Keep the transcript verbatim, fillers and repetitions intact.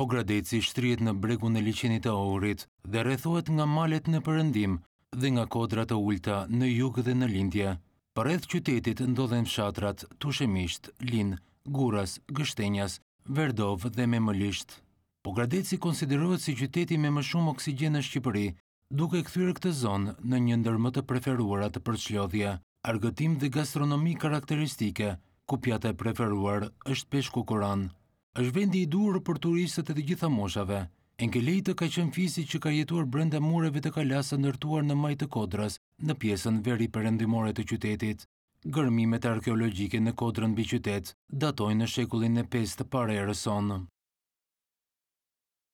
Pogradeci shtrihet në bregun e liqenit të Ohrit dhe rrethohet nga malet në perëndim dhe nga kodra të ulëta në jug dhe në lindje. Përreth qytetit ndodhen fshatrat Tushemisht, Lin, Gurras, Gështenjas, Verdovë dhe Memëlisht. Pogradeci konsiderohet si qyteti me më shumë oksigjen në Shqipëri, duke kthyer këtë zonë në një ndër më të preferuarat për çlodhje, argëtim dhe gastronomi karakteristike, ku pjata e preferuar është peshku koran. Është vendi i duhur për turistët e të gjitha moshave. Enkelejtë ka qenë fisi që ka jetuar brenda mureve të kalasë së ndërtuar në majë të kodrës, në pjesën veri-perëndimore të qytetit. Gërmimet arkeologjike në kodrën mbi qytet datojnë në shekullin e pestë para erës sonë.